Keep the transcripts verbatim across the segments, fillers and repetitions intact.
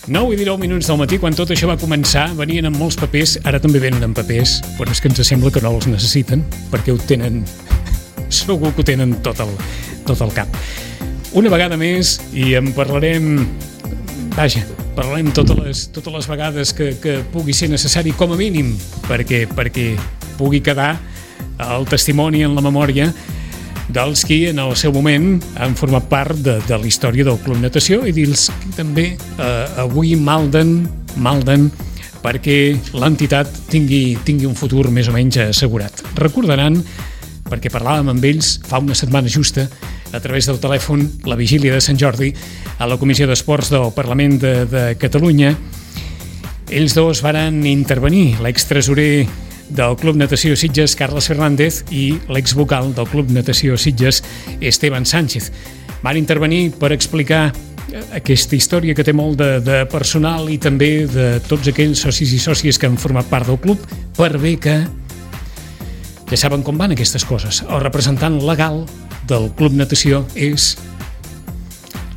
nou i dinou minuts del matí, quan tot això va començar, venien amb molts papers, ara també venen amb papers, però és que ens sembla que no els necessiten, perquè ho tenen, segur que ho tenen tot el, tot el cap. Una vegada més, i en parlarem, vaja, parlarem totes les, totes les vegades que, que pugui ser necessari, com a mínim, perquè, perquè pugui quedar el testimoni en la memòria dels qui en el seu moment han format part de, de la història del Club Natació i dels que també eh, avui malden, malden perquè l'entitat tingui, tingui un futur més o menys assegurat. Recordaran, perquè parlàvem amb ells fa una setmana justa, a través del telèfon, la vigília de Sant Jordi, a la Comissió d'Esports del Parlament de, de Catalunya. Ells dos varen intervenir, l'extresorer del Club Natació Sitges, Carles Fernández, i l'exvocal del Club Natació Sitges, Esteban Sánchez. Van intervenir per explicar aquesta història que té molt de, de personal i també de tots aquells socis i sòcies que han format part del club, per bé que ja saben com van aquestes coses. El representant legal del Club Natació és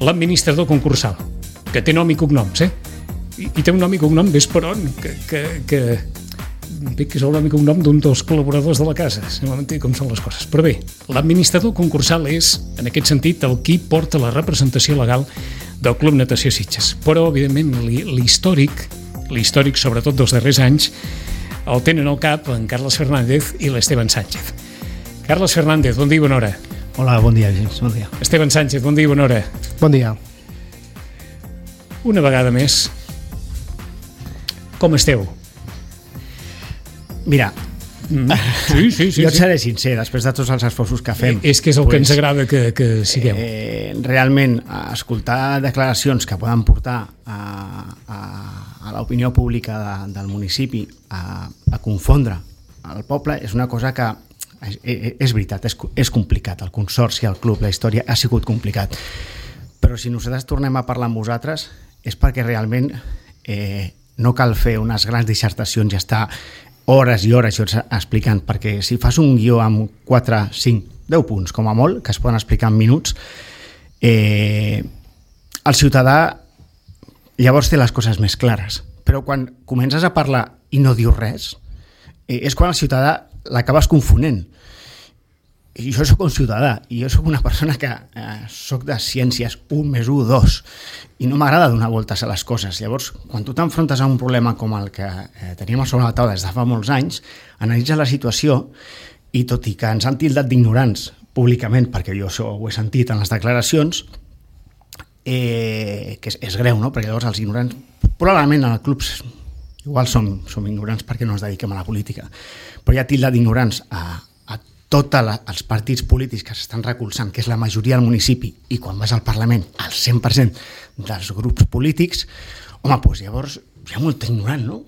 l'administrador concursal, que té nom i cognoms, eh? I, i té un nom i cognom d'Esperon, que... que, que bé, que és el nom i cognom d'un dels col·laboradors de la casa, si no m'entén com són les coses. Però bé, l'administrador concursal és, en aquest sentit, el qui porta la representació legal del Club Natació Sitges. Però, evidentment, l'històric, l'històric, sobretot dels darrers anys, el tenen al cap en Carles Fernández i l'Esteban Sánchez. Carles Fernández, bon dia i bona hora. Hola, bon dia, James, bon dia. Esteban Sánchez, bon dia i bona hora. Bon dia. Una vegada més, com esteu? Mira, mm. sí, sí, sí, jo et sí. seré sincer, després de tots els esforços que fem. És que és el pues, que ens agrada que, que sigueu. Eh, realment, escoltar declaracions que poden portar a, a, a l'opinió pública de, del municipi a, a confondre el poble és una cosa que és, és veritat, és, és complicat. El consorci, el club, la història ha sigut complicat. Però si nosaltres tornem a parlar amb vosaltres és perquè realment eh, no cal fer unes grans dissertacions i estar hores i hores i hores explicant, perquè si fas un guió amb quatre, cinc, deu punts com a molt, que es poden explicar en minuts, eh, el ciutadà llavors té les coses més clares, però quan comences a parlar i no dius res, eh, és quan el ciutadà l'acabes confonent. I jo soc un ciutadà i jo soc una persona que eh, soc de ciències un més un, dos, i no m'agrada donar voltes a les coses. Llavors, quan tu t'enfrontes a un problema com el que eh, teníem a sobre la taula des de fa molts anys, analitzes la situació i tot i que ens han tildat d'ignorants públicament, perquè jo això ho he sentit en les declaracions, eh, que és, és greu, no? Perquè llavors els ignorants, probablement en el club igual som, som ignorants perquè no ens dediquem a la política, però hi ha tildat d'ignorants a tots els partits polítics que s'estan recolzant, que és la majoria del municipi, i quan vas al Parlament, el cent per cent dels grups polítics, home, doncs llavors hi ha molt ignorant, no?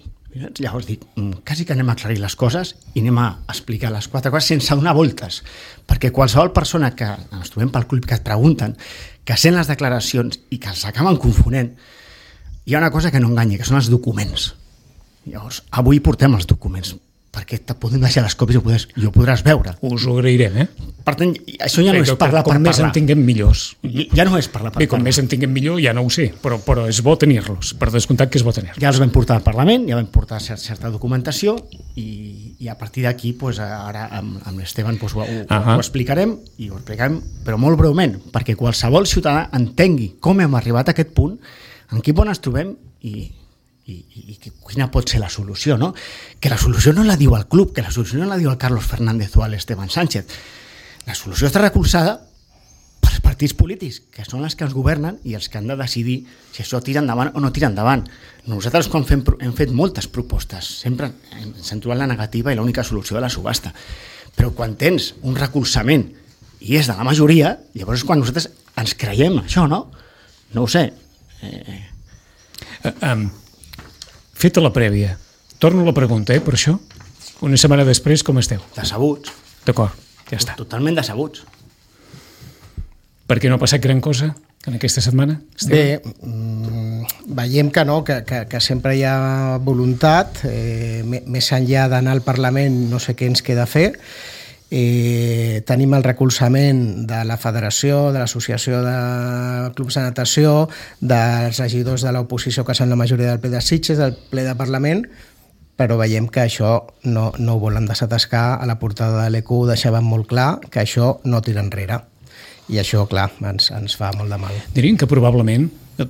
Llavors dic, quasi que anem a aclarir les coses i anem a explicar les quatre coses sense donar voltes, perquè qualsevol persona que ens trobem pel club que et pregunten, que sent les declaracions i que els acaben confonent, hi ha una cosa que no enganya, que són els documents. Llavors, avui portem els documents, perquè te podem deixar les còpies i ho podràs, i ho podràs veure. Us ho agrairem, eh? Per tant, això ja no és parlar per parlar. Com més en tinguem millors. Ja no és parlar per parlar. Bé, com més en tinguem millor, ja no ho sé, però, però és bo tenir-los, per descomptat que és bo tenir-los. Ja els vam portar al Parlament, ja vam portar cert, certa documentació i, i a partir d'aquí, pues, ara amb, amb l'Esteban pues, ho, ho, uh-huh. ho explicarem, i ho explicarem, però molt breument, perquè qualsevol ciutadà entengui com hem arribat a aquest punt, en quin punt ens trobem i... I, i, i quina pot ser la solució, no? Que la solució no la diu el club, que la solució no la diu el Carlos Fernández o l'Esteban Sánchez. La solució està recolzada pels partits polítics, que són els que ens governen i els que han de decidir si això tira endavant o no tira endavant. Nosaltres quan fem, hem fet moltes propostes, sempre ens hem trobat la negativa i l'única solució de la subhasta. Però quan tens un recolzament i és de la majoria, llavors és quan nosaltres ens creiem això, no? No ho sé. Eh... Uh, um... Feta la prèvia, torno a la pregunta, eh, per això. Una setmana després, com esteu? Decebuts. D'acord, ja està. Totalment decebuts. Per què no ha passat gran cosa en aquesta setmana? Esteu? Bé, mmm, veiem que no, que, que, que sempre hi ha voluntat, eh, més enllà d'anar al Parlament no sé què ens queda fer, eh, tenim el recolzament de la Federació, de l'Associació de Clubs de Natació, dels regidors de l'oposició que són la majoria del ple de Sitges, del ple de Parlament, però veiem que això no, no ho volen desatascar. A la portada de l'E Q deixaven molt clar que això no tira enrere. I això, clar, ens, ens fa molt de mal. Dirien que probablement,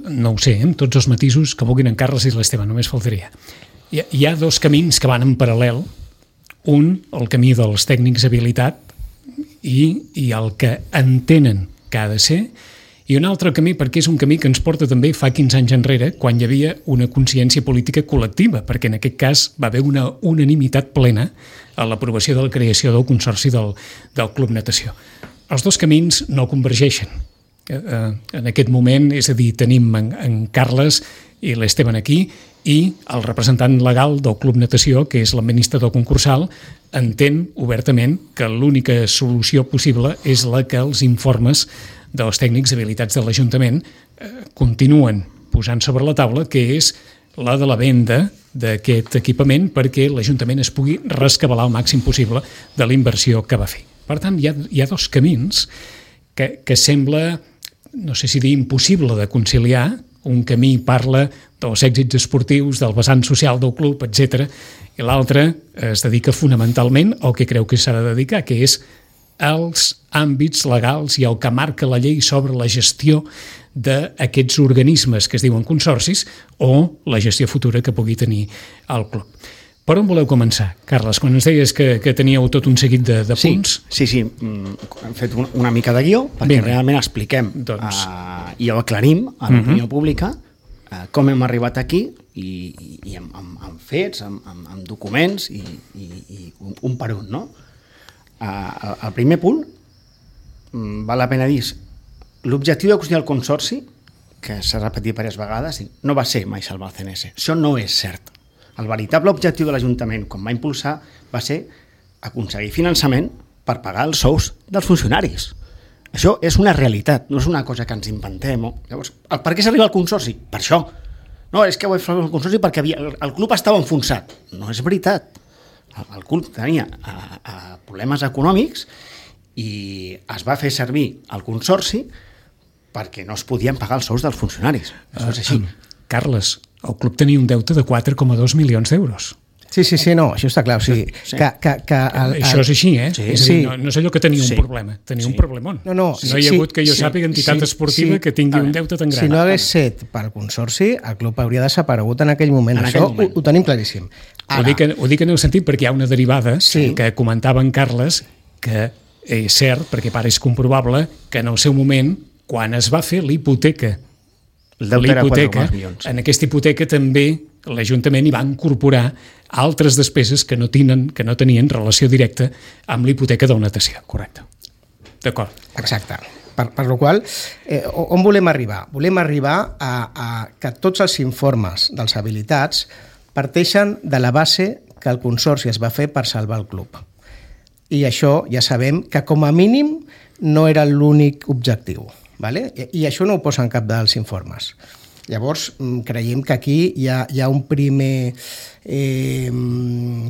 no ho sé, amb tots els matisos que vulguin en Carles i l'Esteve, només faltaria. Hi ha, hi ha dos camins que van en paral·lel. Un, el camí dels tècnics habilitat i, i el que entenen que ha de ser, i un altre camí perquè és un camí que ens porta també fa quinze anys enrere, quan hi havia una consciència política col·lectiva, perquè en aquest cas va haver una unanimitat plena a l'aprovació de la creació del Consorci del, del Club Natació. Els dos camins no convergeixen. En aquest moment, és a dir, tenim en, en Carles i l'Esteban aquí i el representant legal del Club Natació, que és l'administrador concursal, entén obertament que l'única solució possible és la que els informes dels tècnics habilitats de l'Ajuntament eh, continuen posant sobre la taula, que és la de la venda d'aquest equipament perquè l'Ajuntament es pugui rescabalar al màxim possible de la inversió que va fer. Per tant, hi ha, hi ha dos camins que, que sembla, no sé si dir impossible de conciliar. Un camí parla dels èxits esportius, del vessant social del club, etcètera, i l'altre es dedica fonamentalment al que creu que s'ha de dedicar, que és els àmbits legals i el que marca la llei sobre la gestió d'aquests organismes que es diuen consorcis o la gestió futura que pugui tenir el club. Per on voleu començar, Carles? Quan ens deies que, que teníeu tot un seguit de, de punts... Sí, sí, sí. Hem fet una mica de guió perquè Vinga. realment expliquem doncs... uh, i ho aclarim a l'opinió uh-huh. pública uh, com hem arribat aquí i, i, i amb, amb, amb fets, amb, amb, amb documents i, i, i un, un per un, no? Uh, el primer punt, um, val la pena dir, l'objectiu de construir el consorci, que s'ha repetit diverses vegades, no va ser mai salvar el C N S. Això no és cert. El veritable objectiu de l'Ajuntament, quan va impulsar, va ser aconseguir finançament per pagar els sous dels funcionaris. Això és una realitat, no és una cosa que ens inventem. Llavors, per què s'arriba al consorci? Per això. No, és que ho he fet el consorci perquè havia, el club estava enfonsat. No és veritat. El, el club tenia a, a problemes econòmics i es va fer servir el consorci perquè no es podien pagar els sous dels funcionaris. Això és així. Uh, Carles, el club tenia un deute de quatre coma dos milions d'euros. Sí, sí, sí, no, això està clar. O sigui, sí. que, que, que el, el... Això és així, eh? Sí. És a dir, no, no és allò que tenia sí. un problema, tenia sí. un problemón. No, no, no hi ha sí, hagut que jo sí, sàpiga entitat sí, esportiva sí. que tingui un deute tan gran. Si no hagués set pel consorci, el club hauria desaparegut en aquell moment. En això aquell moment. Ho, ho tenim claríssim. Ara, ho, dic, ho dic en el sentit perquè hi ha una derivada sí. que comentava en Carles, que és cert, perquè pare és comprovable, que en el seu moment, quan es va fer l'hipoteca, l'hipoteca, en aquesta hipoteca també l'Ajuntament hi va incorporar altres despeses que no tenen, que no tenien relació directa amb l'hipoteca del natació. Correcte. D'acord. Exacte. Per, per la qual eh, on volem arribar? Volem arribar a, a que tots els informes dels habilitats parteixen de la base que el consorci es va fer per salvar el club. I això ja sabem que com a mínim no era l'únic objectiu. Vale? I, I això no ho posa en cap dels informes. Llavors, creiem que aquí hi ha, hi ha un primer eh,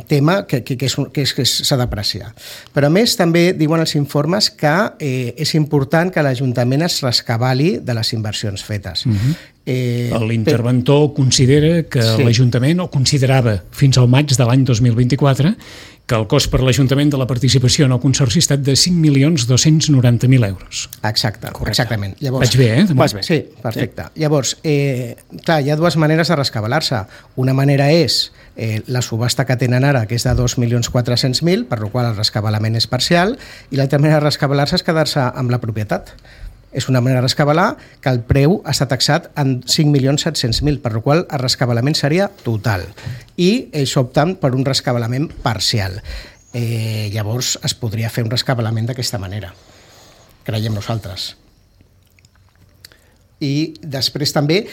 tema que, que, que, és, que, és, que s'ha d'apreciar. Però a més també diuen els informes que eh, és important que l'Ajuntament es rescabali de les inversions fetes. Uh-huh. Eh, L'interventor per... considera que sí. l'Ajuntament, o considerava fins al maig de l'any dos mil vint-i-quatre, que el cost per l'Ajuntament de la participació en el Consorci ha estat de cinc milions dos-cents noranta mil euros. Exacte, Correcte. exactament. Llavors, Vaig bé, eh? Vas bé. Sí, perfecte. Sí. Llavors, eh, clar, hi ha dues maneres de rescabalar-se. Una manera és eh, la subhasta que tenen ara, que és de dos milions quatre-cents mil, per la qual el rescabalament és parcial, i l'altra manera de rescabalar-se és quedar-se amb la propietat. És una manera de rescabalar que el preu està taxat en cinc milions set-cents mil, per la qual el rescabalament seria total. I ells opten per un rescabalament parcial. Eh, llavors es podria fer un rescabalament d'aquesta manera, creiem nosaltres. I després també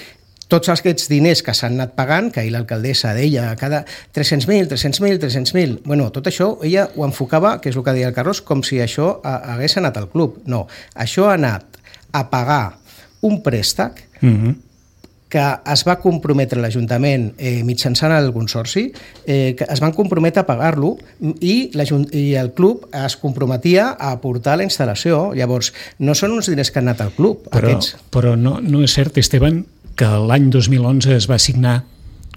tots aquests diners que s'han anat pagant, que ahir l'alcaldessa deia cada tres-cents mil, tres-cents mil, tres-cents mil, bueno, tot això ella ho enfocava, que és el que deia el Carlos, com si això hagués anat al club. No, això ha anat a pagar un préstec uh-huh. que es va comprometre l'Ajuntament eh, mitjançant el Consorci, eh, que es van comprometre a pagar-lo i, i el club es comprometia a aportar la instal·lació. Llavors, no són uns diners que han anat al club. Però, aquests. però no, no és cert, Esteban, que l'any dos mil onze es va signar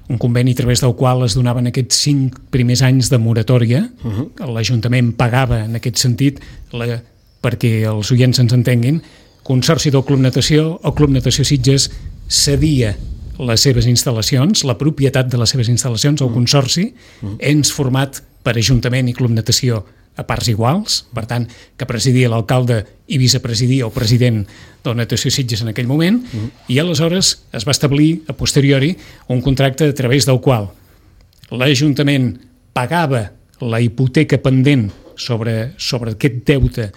un conveni a través del qual es donaven aquests cinc primers anys de moratòria. Uh-huh. L'Ajuntament pagava en aquest sentit, la, perquè els oients ens entenguin, Consorci del Club Natació, el Club Natació Sitges cedia les seves instal·lacions, la propietat de les seves instal·lacions al Consorci, uh-huh. ens format per Ajuntament i Club Natació a parts iguals, per tant, que presidia l'alcalde i vicepresidia el president de la Natació Sitges en aquell moment, uh-huh. i aleshores es va establir, a posteriori, un contracte a través del qual l'Ajuntament pagava la hipoteca pendent sobre, sobre aquest deute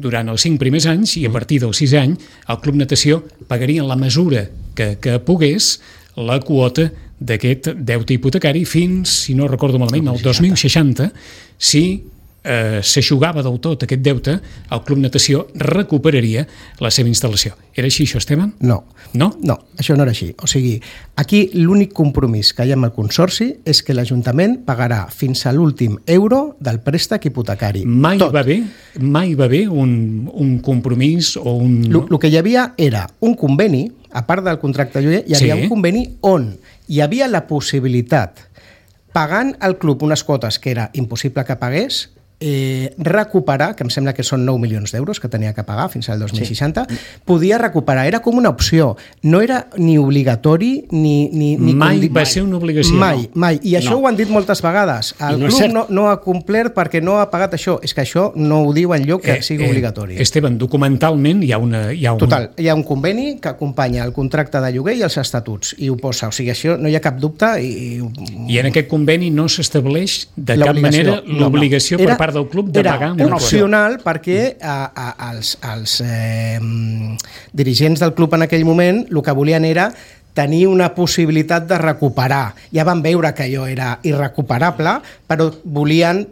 durant els cinc primers anys i a partir del sisè any el Club Natació pagaria en la mesura que, que pogués la quota d'aquest deute hipotecari fins, si no recordo malament, el dos mil seixanta, si eh, s'aixugava del tot aquest deute, el Club Natació recuperaria la seva instal·lació. Era així això, Esteban? No. No? No, això no era així. O sigui, aquí l'únic compromís que hi ha amb el Consorci és que l'Ajuntament pagarà fins a l'últim euro del préstec hipotecari. Mai tot. va bé, mai va bé un, un compromís o un... El que hi havia era un conveni, a part del contracte de lloguer, hi havia sí. un conveni on hi havia la possibilitat, pagant al club unes quotes que era impossible que pagués, Eh, recuperar, que em sembla que són nou milions d'euros que tenia que pagar fins al dos mil seixanta, sí. podia recuperar, era com una opció, no era ni obligatori ni... ni, ni mai condi... va ser una obligació. Mai, no. mai, i això no. ho han dit moltes vegades. El no club no, no ha complert perquè no ha pagat això, és que això no ho diu enlloc que eh, sigui eh, obligatori. Esteban, documentalment hi ha una... Hi ha un... Total, hi ha un conveni que acompanya el contracte de lloguer i els estatuts, i ho posa, o sigui, això no hi ha cap dubte. I, I en aquest conveni no s'estableix de cap manera l'obligació no, no. per part del club de era pagar una opcional perquè a, a, als, als eh, dirigents del club en aquell moment el que volien era tenir una possibilitat de recuperar. Ja van veure que allò era irrecuperable, però volien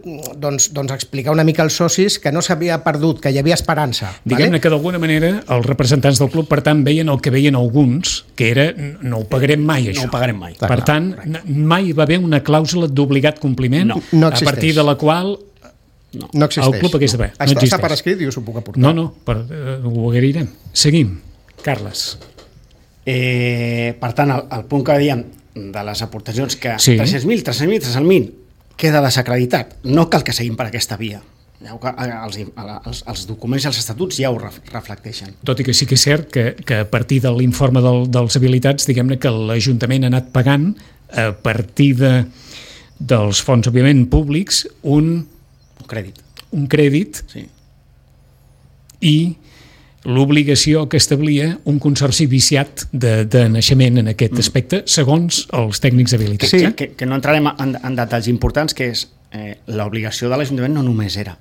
doncs, doncs explicar una mica als socis que no s'havia perdut, que hi havia esperança. Diguem-ne vale? que d'alguna manera els representants del club, per tant, veien el que veien alguns, que era no ho pagarem mai, això. No ho pagarem mai. Per tant, mai va haver una clàusula d'obligat compliment no, no a partir de la qual No, no existeix. El club hagués d'haver. No. No està per escrit i us ho puc aportar. No, no, per, uh, ho agrairem. Seguim. Carles. Eh, per tant, el, el punt que dèiem de les aportacions que sí. tres-cents mil, tres-cents mil, tres-cents mil queda desacreditat. No cal que seguim per aquesta via. Els, els, els documents i els estatuts ja ho reflecteixen. Tot i que sí que és cert que, que a partir de l'informe del, dels habilitats, diguem-ne que l'Ajuntament ha anat pagant a partir de, dels fons, òbviament, públics, un Un crèdit. Un crèdit sí. i l'obligació que establia un consorci viciat de, de naixement en aquest mm. aspecte, segons els tècnics habilitats. Sí, que, que no entrarem en, en detalls importants, que és eh, l'obligació de l'Ajuntament no només era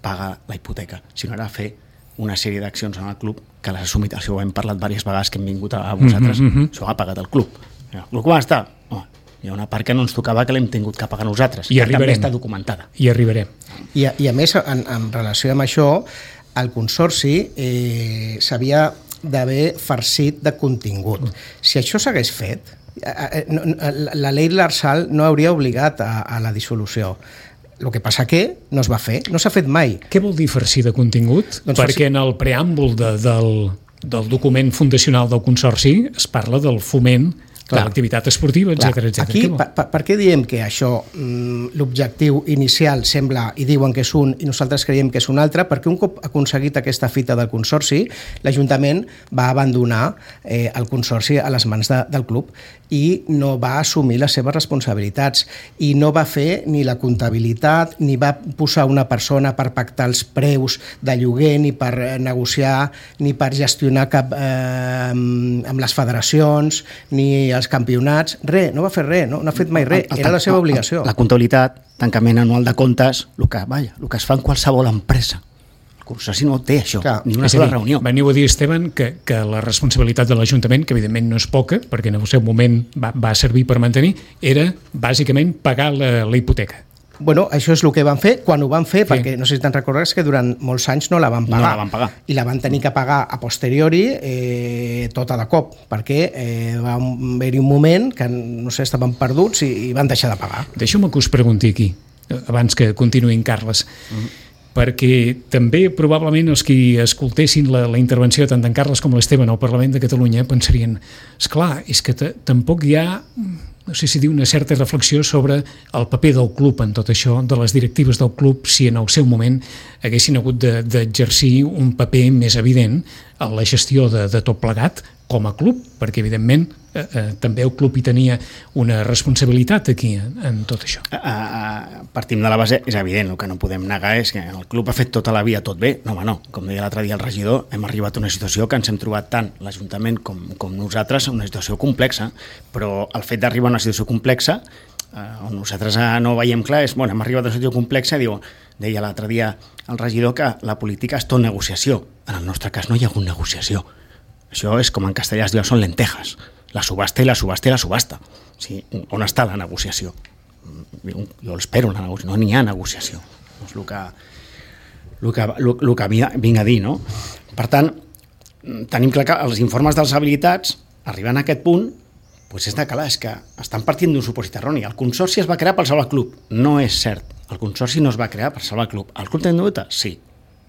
pagar la hipoteca, sinó era fer una sèrie d'accions en el club que les ha assumit. Això ho hem parlat diverses vegades que hem vingut a vosaltres. Mm-hmm. Això ho ha pagat el club. El club com està? Oh, hi ha una part que no ens tocava que l'hem tingut que pagar nosaltres, I que arribarem. també està documentada. I arribarem. I a, i a més, en, en relació amb això, el Consorci eh, s'havia d'haver farcit de contingut. Si això s'hagués fet, eh, no, la llei Larsal no hauria obligat a, a la dissolució. El que passa que no es va fer, no s'ha fet mai. Què vol dir farcir de contingut? Doncs Perquè farcir... en el preàmbul de, del, del document fundacional del Consorci es parla del foment de l'activitat esportiva, etcètera, etcètera. Aquí, per, per, per què diem que això, l'objectiu inicial sembla, i diuen que és un, i nosaltres creiem que és un altre? Perquè un cop aconseguit aquesta fita del Consorci, l'Ajuntament va abandonar eh, el Consorci a les mans de, del club i no va assumir les seves responsabilitats i no va fer ni la comptabilitat, ni va posar una persona per pactar els preus de lloguer, ni per negociar, ni per gestionar cap, eh, amb les federacions, ni els campionats, res, no va fer res, no, no ha fet mai res, era la seva obligació. La comptabilitat, tancament anual de comptes, el que, vaja, el que es fa en qualsevol empresa. El Consorci no té això, clar, ni una sola dir, reunió. Veniu a dir, Esteban, que, que la responsabilitat de l'Ajuntament, que evidentment no és poca, perquè en el seu moment va, va servir per mantenir, era bàsicament pagar la, la hipoteca. bueno, això és el que van fer, quan ho van fer, sí. perquè no sé si te'n recordes que durant molts anys no la van pagar. No la van pagar. I la van tenir que pagar a posteriori eh, tota de cop, perquè eh, va haver-hi un moment que, no sé, estaven perduts i, i van deixar de pagar. Deixa'm que us pregunti aquí, abans que continuïn, Carles, mm-hmm. perquè també probablement els qui escoltessin la, la intervenció tant d'en Carles com l'Esteban al Parlament de Catalunya pensarien, esclar, és que tampoc hi ha, no sé si dir, una certa reflexió sobre el paper del club en tot això, de les directives del club, si en el seu moment haguessin hagut d'exercir de, un paper més evident en la gestió de, de tot plegat com a club, perquè evidentment eh, eh, també el club hi tenia una responsabilitat aquí en, en tot això. Uh, uh, partim de la base, és evident, el que no podem negar és que el club ha fet tota la vida tot bé, no home no, com deia l'altre dia el regidor, hem arribat a una situació que ens hem trobat tant l'Ajuntament com, com nosaltres, una situació complexa, però el fet d'arribar a una situació complexa uh, on nosaltres uh, no veiem clar és, bueno, hem arribat a una situació complexa, diu, deia l'altre dia el regidor que la política és tot negociació, en el nostre cas no hi ha hagut negociació. Això és com en castellà es diu, són lentejas. La subhasta i la subhasta i la subhasta. O sigui, on està la negociació? Jo l'espero, la negociació. No n'hi ha negociació. És el que, el que, el, el que vinc a dir, no? Per tant, tenim clar que els informes dels habilitats, arribant a aquest punt, doncs és de clar, és que estan partint d'un supòsit erroni. El consorci es va crear per salvar el club. No és cert. El consorci no es va crear per salvar el club. El club té un deute? Sí.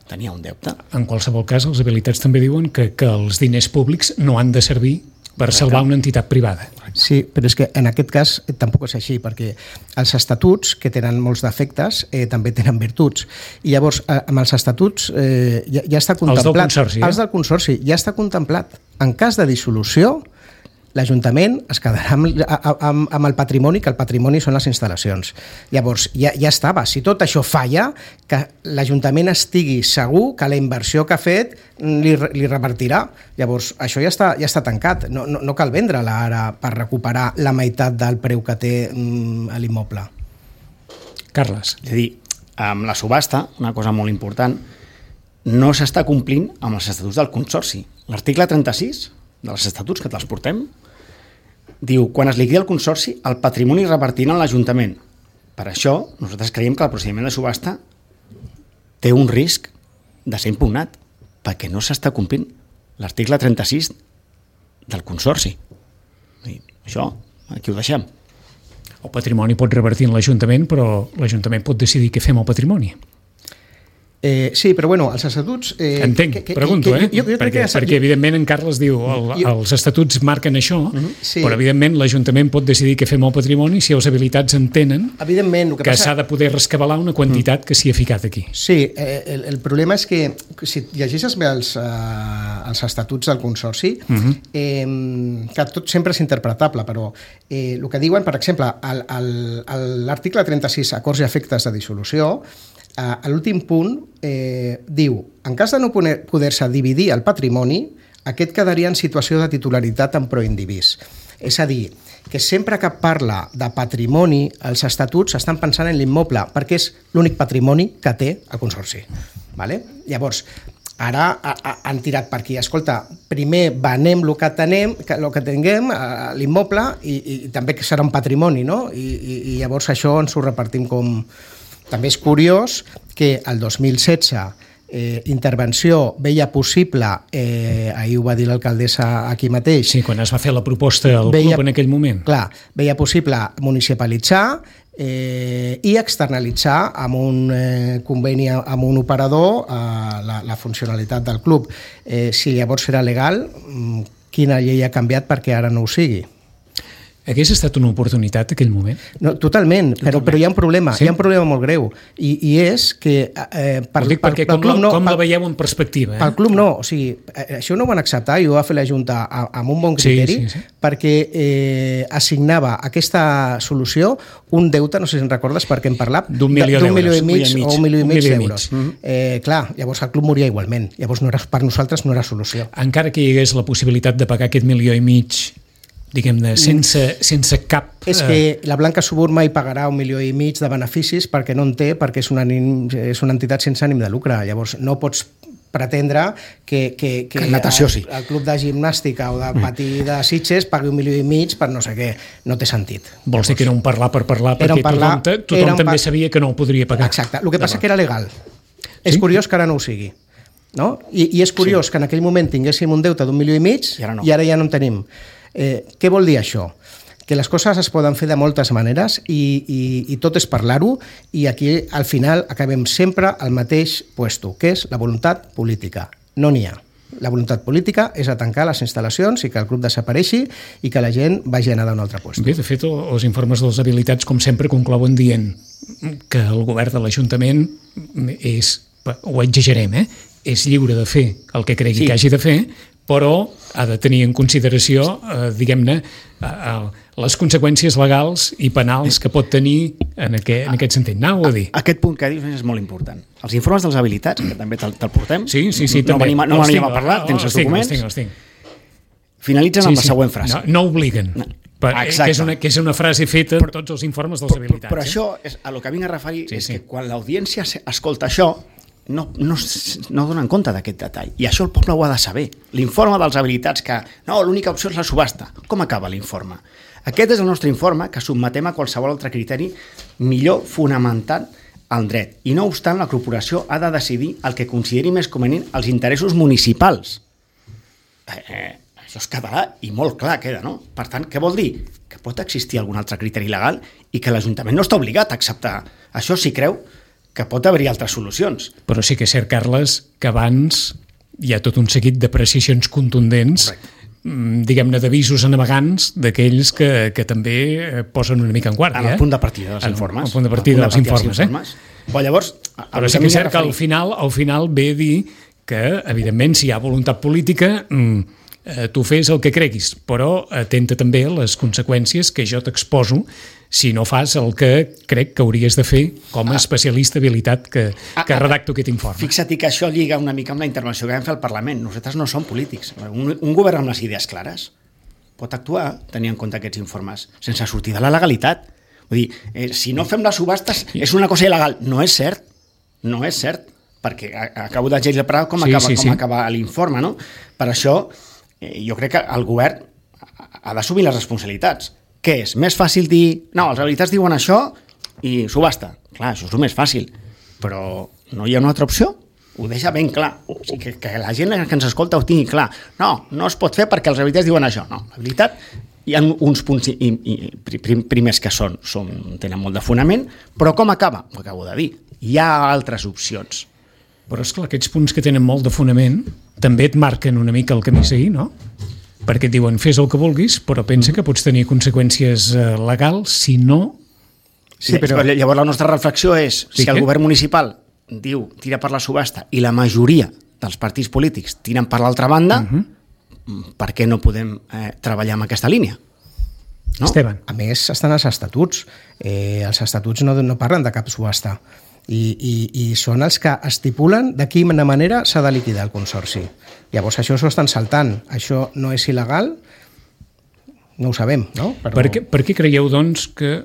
Tenia un deute. En qualsevol cas, els habilitats també diuen que, que els diners públics no han de servir per salvar una entitat privada. Sí, però és que en aquest cas tampoc és així, perquè els estatuts, que tenen molts defectes, eh, també tenen virtuts. I llavors, eh, amb els estatuts eh, ja, ja està contemplat... Els del consorci, eh? Els del consorci, ja està contemplat. En cas de dissolució, l'Ajuntament es quedarà amb, amb, amb el patrimoni, que el patrimoni són les instal·lacions. Llavors, ja, ja estava. Si tot això falla, que l'Ajuntament estigui segur que la inversió que ha fet li, li revertirà. Llavors, això ja està, ja està tancat. No, no, no cal vendre-la ara per recuperar la meitat del preu que té mm, l'immoble. Carles. És a dir, amb la subhasta, una cosa molt important, no s'està complint amb els estatuts del consorci. L'article trenta-sis dels estatuts, que te'ls portem, diu, quan es liquidi el consorci, el patrimoni revertirà en l'Ajuntament. Per això, nosaltres creiem que el procediment de subhasta té un risc de ser impugnat, perquè no s'està complint l'article trenta-sis del consorci. I això, aquí ho deixem. El patrimoni pot revertir en l'Ajuntament, però l'Ajuntament pot decidir què fem al patrimoni. Eh, sí, però bueno, els estatuts... Eh, Entenc, que, que, pregunto, que, eh? Jo, jo perquè, que perquè evidentment en Carles diu el, jo, els estatuts marquen això, uh-huh, sí. Però evidentment l'Ajuntament pot decidir què fem al patrimoni si els habilitats entenen evidentment, que, que passa... s'ha de poder rescabalar una quantitat uh-huh. que s'hi ha ficat aquí. Sí, eh, el, el problema és que si llegeixes bé els, eh, els estatuts del consorci, uh-huh. eh, que tot sempre és interpretable, però eh, el que diuen, per exemple, l'article trenta-sis, acords i efectes de dissolució, a l'últim punt eh, diu, en cas de no poder-se dividir el patrimoni, aquest quedaria en situació de titularitat en proindivís. És a dir, que sempre que parla de patrimoni, els estatuts estan pensant en l'immoble, perquè és l'únic patrimoni que té el consorci. Vale? Llavors, ara han tirat per aquí, escolta, primer venem el que tenem, el que tinguem, l'immoble, i, i també que serà un patrimoni, no? I, i, i llavors això ens ho repartim com... També és curiós que el dos mil setze eh, intervenció veia possible, eh, ahir ho va dir l'alcaldessa aquí mateix... Sí, quan es va fer la proposta al veia, club en aquell moment. Clar, veia possible municipalitzar eh, i externalitzar amb un eh, conveni amb un operador eh, la, la funcionalitat del club. Eh, si llavors era legal, quina llei ha canviat perquè ara no ho sigui? Hagués estat una oportunitat aquell moment? No, totalment, però, però hi ha un problema, sí? Hi ha un problema molt greu, i, i és que... Eh, per, Ho dic per, perquè per, com, la, no, com la veieu en perspectiva. Eh? Pel club no, o sigui, això no ho van acceptar i ho va fer la Junta amb un bon criteri, sí, sí, sí. Perquè eh, assignava aquesta solució un deute, no sé si en recordes perquè hem parlat, d'un milió d'euros, milió i mig, o un milió i mig d'euros. Mm-hmm. Eh, clar, llavors el club moria igualment, llavors no era, per nosaltres no era solució. Encara que hi hagués la possibilitat de pagar aquest milió i mig, diguem-ne, sense, sense cap... És que la Blanca Subur mai pagarà un milió i mig de beneficis perquè no en té, perquè és una, és una entitat sense ànim de lucre. Llavors no pots pretendre que, que, que, que natació, sí. el, el club de gimnàstica o de patí de Sitges pagui un milió i mig per no sé què. No té sentit. Vols dir que era un parlar per parlar, Era un perquè parlar- tothom, tothom era un també par- sabia que no ho podria pagar. Exacte. El que passa que era legal. Sí? És curiós que ara no ho sigui. No? I, I és curiós sí. que en aquell moment tinguéssim un deute d'un milió i mig I ara no. i ara ja no en tenim. Eh, què vol dir això? Que les coses es poden fer de moltes maneres i, i, i tot és parlar-ho, i aquí al final acabem sempre al mateix puesto, que és la voluntat política. No n'hi ha. La voluntat política és a tancar les instal·lacions i que el club desapareixi i que la gent vagi a anar d'un altre puesto. Bé, de fet, els informes de les habilitats, com sempre, conclouen dient que el govern de l'Ajuntament és, ho exagerem, eh? és lliure de fer el que cregui Sí. que hagi de fer, però ha de tenir en consideració, eh, diguem-ne, eh, les conseqüències legals i penals que pot tenir en aquest, en aquest sentit. Anau a dir. Aquest punt que dius és molt important. Els informes de les habilitats, que també te'l te'l portem, Sí, sí, sí, no també. venim, a- no Els venim tinc, a parlar, tens els els tinc, documents, Els tinc, els tinc. finalitzen Sí, amb la sí. següent frase. No, no obliguen. No. Per, Exacte. que, és una, que és una frase feta en tots els informes de les habilitats. Però eh? això, és, a lo que vinc a referir, Sí, és sí. que quan l'audiència se- escolta això, no, no, s- no donen compte d'aquest detall. I això el poble ho ha de saber. L'informe dels habilitats que, no, l'única opció és la subhasta. Com acaba l'informe? Aquest és el nostre informe que sotmetem a qualsevol altre criteri millor fonamentat al dret. I no obstant, la corporació ha de decidir el que consideri més convenient els interessos municipals. Eh, eh, això és català i molt clar queda, no? Per tant, què vol dir? Que pot existir algun altre criteri legal i que l'Ajuntament no està obligat a acceptar. Això sí creu que pot haver-hi altres solucions. Però sí que és cert, Carles, que abans hi ha tot un seguit de precisions contundents, mm, diguem-ne, d'avisos enavegants d'aquells que, que també eh, posen una mica en guàrdia. En el eh? punt de partida dels En- informes. El punt de partida En el dels punt de informes, partida eh? dels Però llavors... a- a Però lo sí que que és vinc a cert que al referir- final, al final ve a dir que, evidentment, si hi ha voluntat política, mm, eh, tu fes el que creguis, però atenta també a les conseqüències que jo t'exposo si no fas el que crec que hauries de fer com a especialista habilitat que, que redacto aquest informe. Fixa't que això lliga una mica amb la intervenció que vam fer al Parlament. Nosaltres no som polítics. Un, un govern amb les idees clares pot actuar tenint en compte aquests informes sense sortir de la legalitat. Vull dir, eh, si no fem les subhastes és una cosa il·legal. No és cert. No és cert. Perquè a- acabo de llegir com Sí, acaba, sí, com sí. acaba l'informe, no? Per això eh, jo crec que el govern ha d'assumir les responsabilitats. Què és? Més fàcil dir, no, els habilitats diuen això i subhasta. Clar, això és el més fàcil. Però no hi ha una altra opció? Ho deixa ben clar. O sigui, que, que la gent que ens escolta ho tingui clar. No, no es pot fer perquè els habilitats diuen això. No, l'habilitat hi ha uns punts i, i, prim, primers que són, són, tenen molt de fonament, però com acaba? Ho acabo de dir. Hi ha altres opcions. Però és clar, aquests punts que tenen molt de fonament també et marquen una mica el camí a seguir, no? Perquè et diuen, fes el que vulguis, però pensa que pots tenir conseqüències eh, legals si no... Sí, però... Llavors la nostra reflexió és, Sí, si el què? govern municipal diu tira per la subhasta i la majoria dels partits polítics tiren per l'altra banda, uh-huh. per què no podem eh, treballar en aquesta línia? No? Esteban. A més, estan els estatuts. Eh, els estatuts no, no parlen de cap subhasta. I, i, i són els que estipulen de quina manera s'ha de liquidar el consorci. Llavors això s'ho estan saltant. Això no és il·legal? No ho sabem, no? Però... Per, què, per què creieu, doncs, que...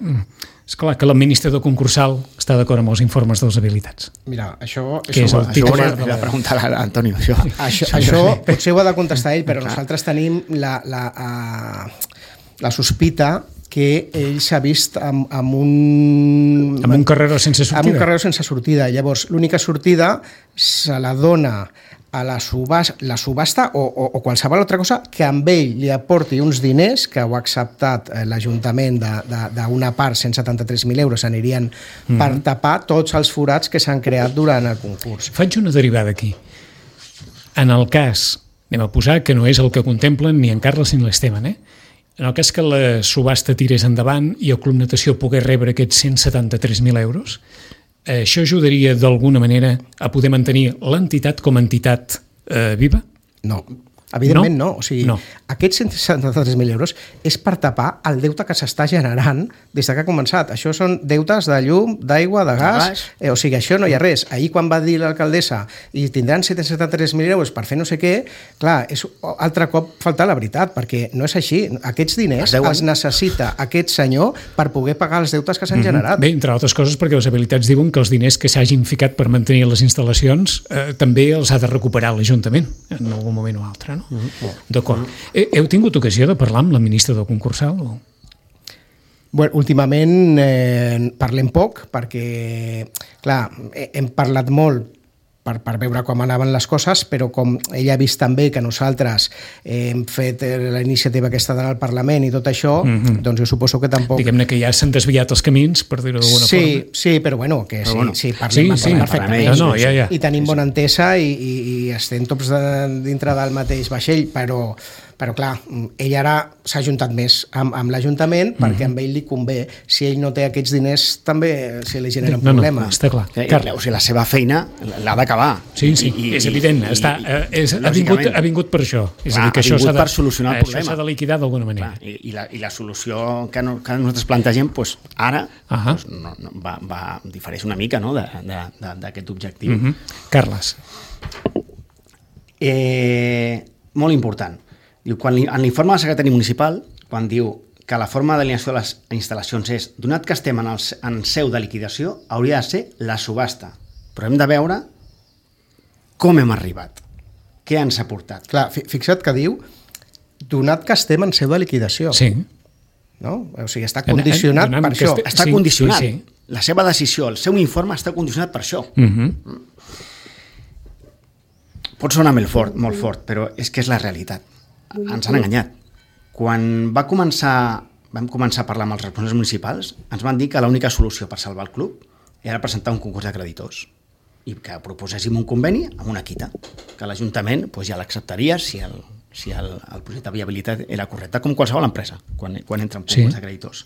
És clar que l'administrador concursal està d'acord amb els informes de les habilitats. Mira, això... Què és el Això ho titular hauria de de la... preguntar a Antonio. Això, Això, això potser ho ha de contestar ell, però nosaltres tenim la, la, uh, la sospita que ell s'ha vist amb, amb un... Amb un carreró sense sortida. Amb un carreró sense sortida. Llavors, l'única sortida se la dona a la, subhasta, la subhasta o, o, o qualsevol altra cosa que amb ell li aporti uns diners que ho ha acceptat eh, l'Ajuntament d'una part, cent setanta-tres mil euros, anirien mm. per tapar tots els forats que s'han creat durant el concurs. Faig una derivada aquí. En el cas, anem a posar que no és el que contemplen ni en Carles ni l'Esteban, eh? En el cas que la subhasta tirés endavant i el Club Natació pogués rebre aquests cent setanta-tres mil euros, això ajudaria d'alguna manera a poder mantenir l'entitat com a entitat eh, viva? No. Evidentment no. no. O sigui, no. Aquests cent setanta-tres mil euros és per tapar el deute que s'està generant des que ha començat. Això són deutes de llum, d'aigua, de gas, eh, o sigui, això no hi ha res. Ahir quan va dir l'alcaldessa i tindran cent setanta-tres mil euros per fer no sé què, clar, és altre cop faltar la veritat, perquè no és així. Aquests diners els necessita aquest senyor per poder pagar els deutes que s'han mm-hmm. generat. Bé, entre altres coses perquè les habilitats diuen que els diners que s'hagin ficat per mantenir les instal·lacions eh, també els ha de recuperar l'Ajuntament en algun moment o altre, no? Mm-hmm. D'acord. Mm-hmm. Heu tingut ocasió de parlar amb la ministra del concursal? O? Bueno, últimament eh, parlem poc perquè, clar, hem parlat molt per, per veure com anaven les coses, però com ella ha vist també que nosaltres eh, hem fet la iniciativa aquesta d'anar al Parlament i tot això, mm-hmm. doncs jo suposo que tampoc... Diguem-ne que ja s'han desviat els camins, per dir-ho d'alguna sí, forma. Sí, però bueno, que sí, bueno. sí, parlem, sí, sí, perfectament. No, no, ja, ja. I tenim sí, sí. bona entesa i, i, i estem tots de, dintre del mateix vaixell, però... Però, clar, ell ara s'ha ajuntat més amb, amb l'Ajuntament perquè mm-hmm. a ell li convé. Si ell no té aquests diners, també se li generen no, problemes. No, està clar. Carles, o sigui, la seva feina l'ha d'acabar. Sí, sí, I, és evident. I, està, i, és, ha, vingut, ha vingut per això. És clar, a dir, que ha vingut això de, per solucionar el problema. Això s'ha de liquidar d'alguna manera. Clar, i, i, la, I la solució que, no, que nosaltres plantegem, pues, ara uh-huh. pues, no, no, va, va difereix una mica no, d'aquest objectiu. Uh-huh. Carles. Eh, molt important. Diu, quan, en l'informe del secretari municipal, quan diu que la forma d'alineació de les instal·lacions és, donat que estem en, el, en seu de liquidació, hauria de ser la subhasta. Però hem de veure com hem arribat, què ens ha portat. Clar, fixa't que diu, donat que estem en seu de liquidació. Sí. No? O sigui, està condicionat en, en, per això. Està sí, condicionat. Sí, sí. La seva decisió, el seu informe està condicionat per això. Uh-huh. Pot sonar molt fort, molt fort, però és que és la realitat. Ens han enganyat. Quan va començar, vam començar a parlar amb els responsables municipals, ens van dir que l'única solució per salvar el club era presentar un concurs de creditors i que proposéssim un conveni amb una quita, que l'Ajuntament pues, ja l'acceptaria si, el, si el, el projecte de viabilitat era correcte, com qualsevol empresa, quan, quan entra en concurs sí. de creditors.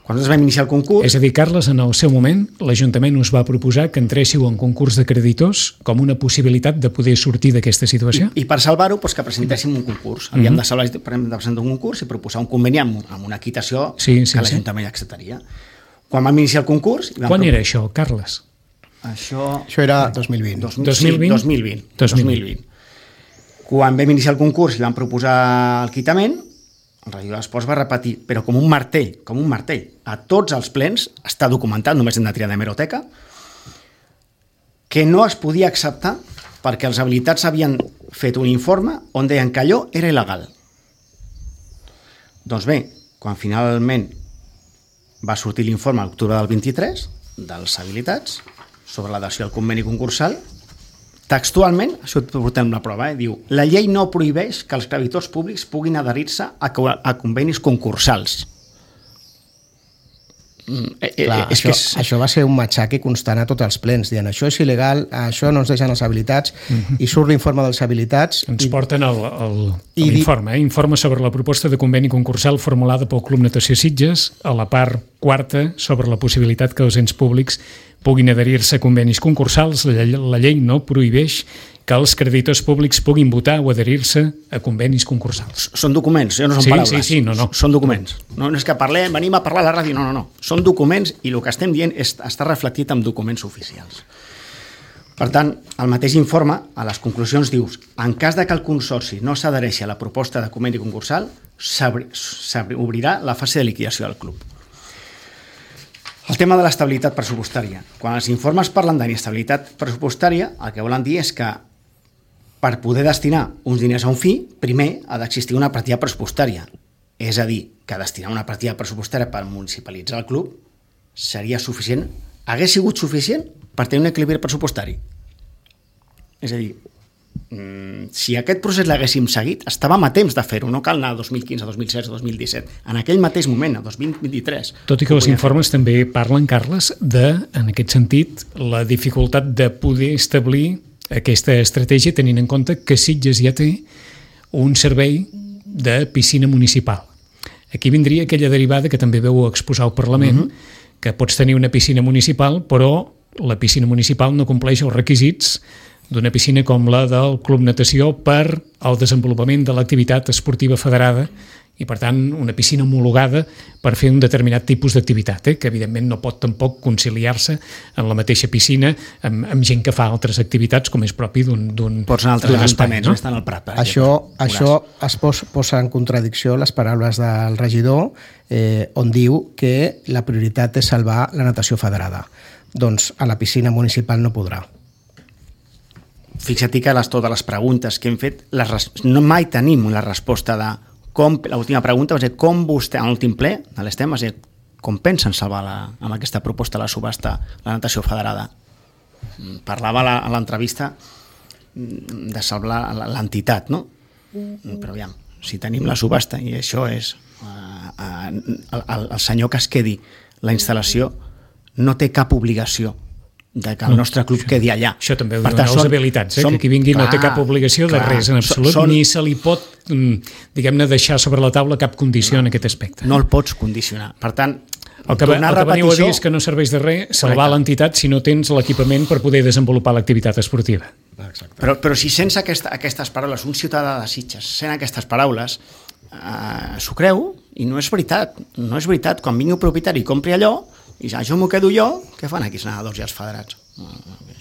Quan nosaltres vam iniciar el concurs... És a dir, Carles, en el seu moment, l'Ajuntament us va proposar que entréssiu en concurs de creditors com una possibilitat de poder sortir d'aquesta situació? I, i per salvar-ho, doncs, que presentéssim un concurs. Havíem mm-hmm. de, salvar, de presentar un concurs i proposar un conveni amb, amb una quitació sí, sí, que l'Ajuntament sí. acceptaria. Quan vam iniciar el concurs... Quan propos... era això, Carles? Això... Això era dos mil vint. dos mil vint? Sí, dos mil vint. dos mil vint. Quan vam iniciar el concurs i vam proposar el quitament, el regidor d'Esports va repetir, però com un martell, com un martell, a tots els plens, està documentat, només hem de triar d'hemeroteca, que no es podia acceptar perquè els habilitats havien fet un informe on deien que allò era il·legal. Doncs bé, quan finalment va sortir l'informe a l'octubre del vint-i-tres dels habilitats sobre l'adhesió al conveni concursal, textualment, això ho portem la prova, eh? Diu, la llei no prohibeix que els creditors públics puguin adherir-se a, a convenis concursals. Eh, Clar, eh, és això, que és... això va ser un matxaque constant a tots els plens, dient això és il·legal, això no ens deixen les habilitats, uh-huh. i surt l'informe dels habilitats... Ens i... porten l'informe, eh? Informe sobre la proposta de conveni concursal formulada pel Club Natació Sitges, a la part quarta sobre la possibilitat que els ens públics puguin adherir-se a convenis concursals. La, la llei no prohibeix que els creditors públics puguin votar o adherir-se a convenis concursals. Són documents, no són sí, paraules. Sí, sí, no, no. Són documents. No, no és que parlem, venim a parlar a la ràdio, no, no, no. Són documents i el que estem dient és, està reflectit en documents oficials. Per tant, el mateix informe, a les conclusions dius, en cas de que el Consorci no s'adhereixi a la proposta de conveni concursal, s'obrirà la fase de liquidació del club. El tema de l'estabilitat pressupostària. Quan els informes parlen d'inestabilitat pressupostària, el que volen dir és que per poder destinar uns diners a un fi, primer ha d'existir una partida pressupostària. És a dir, que destinar una partida pressupostària per municipalitzar el club seria suficient, hagués sigut suficient per tenir un equilibri pressupostari. És a dir, si aquest procés l'haguéssim seguit, estàvem a temps de fer-ho, no cal anar a dos mil quinze, dos mil setze, dos mil disset. En aquell mateix moment, a dos mil vint-i-tres... Tot i que els informes fer. també parlen, Carles, de, en aquest sentit, la dificultat de poder establir aquesta estratègia tenint en compte que Sitges ja té un servei de piscina municipal. Aquí vindria aquella derivada que també veu exposar al Parlament, uh-huh. que pots tenir una piscina municipal, però la piscina municipal no compleix els requisits d'una piscina com la del Club Natació per al desenvolupament de l'activitat esportiva federada i, per tant, una piscina homologada per fer un determinat tipus d'activitat, eh? que evidentment no pot tampoc conciliar-se en la mateixa piscina amb, amb gent que fa altres activitats, com és propi d'un espai. Pots anar a altres ajuntaments, no? Estan al Prat, per això, això es pos, posa en contradicció les paraules del regidor, eh, on diu que la prioritat és salvar la natació federada. Doncs a la piscina municipal no podrà. Fixa't que les, totes les preguntes que hem fet, les, no mai tenim la resposta de com, l'última pregunta va ser com vostè, en l'últim ple de l'Estem, va ser com pensen salvar la, amb aquesta proposta la subhasta la natació federada. Parlava la, a l'entrevista de salvar l'entitat, no? Però aviam, si tenim la subhasta i això és uh, uh, el, el senyor que es quedi la instal·lació no té cap obligació de que el nostre club això, quedi allà. Això també ho diuen els habilitats, eh? Som, que aquí vingui clar, no té cap obligació clar, de res en absolut, són, ni se li pot, diguem-ne, deixar sobre la taula cap condició no, en aquest aspecte. No el pots condicionar. Per tant, el que, el que veniu a dir és que no serveix de res salvar l'entitat si no tens l'equipament per poder desenvolupar l'activitat esportiva. Exacte. Però, però si sense aquesta, aquestes paraules, un ciutadà de Sitges, sent aquestes paraules, eh, s'ho creu i no és veritat. No és veritat. Quan vingui un propietari i compri allò, i això m'ho quedo jo, què fan aquí els nedadors i els federats?